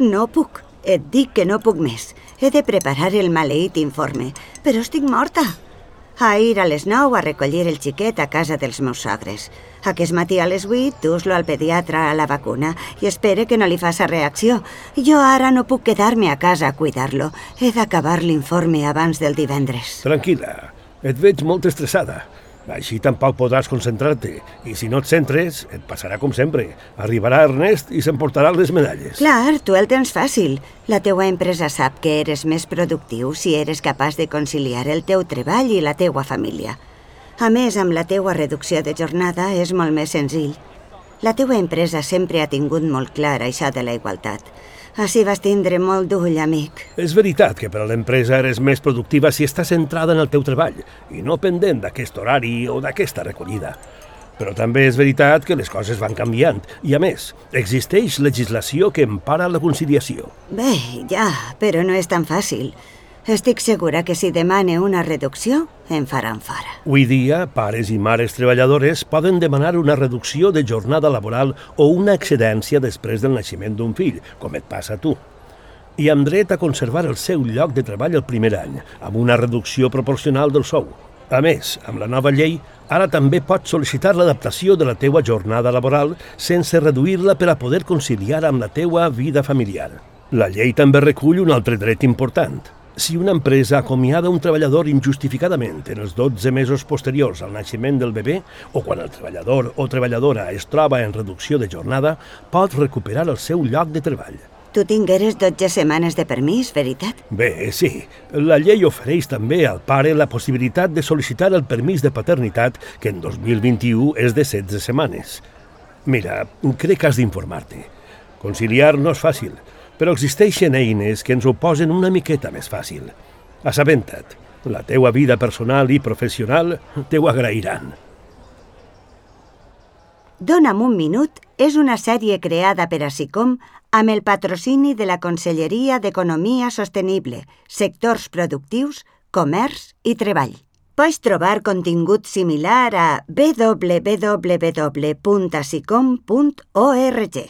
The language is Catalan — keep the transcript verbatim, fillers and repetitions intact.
No puc. Et dic que no puc més. He de preparar el maleït informe, però estic morta. A ir a les nou a recollir el xiquet a casa dels meus sogres. Aquest matí a les vuit dus-lo al pediatre a la vacuna i espere que no li faci reacció. Jo ara no puc quedar-me a casa a cuidar-lo. He d'acabar l'informe abans del divendres. Tranquil·la, et veig molt estressada. Així tampoc podràs concentrar-te. I si no et centres, et passarà com sempre. Arribarà Ernest i s'emportarà les medalles. Clar, tu el tens fàcil. La teua empresa sap que eres més productiu si eres capaç de conciliar el teu treball i la teua família. A més, amb la teua reducció de jornada és molt més senzill. La teua empresa sempre ha tingut molt clar això de la igualtat. Així vas tindre molt d'ull, amic. És veritat que per a l'empresa eres més productiva si estàs centrada en el teu treball i no pendent d'aquest horari o d'aquesta recollida. Però també és veritat que les coses van canviant i, a més, existeix legislació que empara la conciliació. Bé, ja, però no és tan fàcil. Estic segura que si demane una reducció, em faran fora. Avui dia, pares i mares treballadores poden demanar una reducció de jornada laboral o una excedència després del naixement d'un fill, com et passa a tu. I amb dret a conservar el seu lloc de treball el primer any, amb una reducció proporcional del sou. A més, amb la nova llei, ara també pots sol·licitar l'adaptació de la teua jornada laboral sense reduir-la per a poder conciliar amb la teua vida familiar. La llei també recull un altre dret important. Si una empresa acomiada un treballador injustificadament en els dotze mesos posteriors al naixement del bebè o quan el treballador o treballadora es troba en reducció de jornada, pot recuperar el seu lloc de treball. Tu tingueres dotze setmanes de permís, veritat? Bé, sí. La llei ofereix també al pare la possibilitat de sol·licitar el permís de paternitat, que en dos mil vint-i-u és de setze setmanes. Mira, crec que has d'informar-te. Conciliar no és fàcil, però existeixen eines que ens ho posen una miqueta més fàcil. Assabenta't, la teua vida personal i professional te ho agrairan. Dona'm un minut és una sèrie creada per a SICOM amb el patrocini de la Conselleria d'Economia Sostenible, Sectors Productius, Comerç i Treball. Pots trobar contingut similar a w w w punt sicom punt org.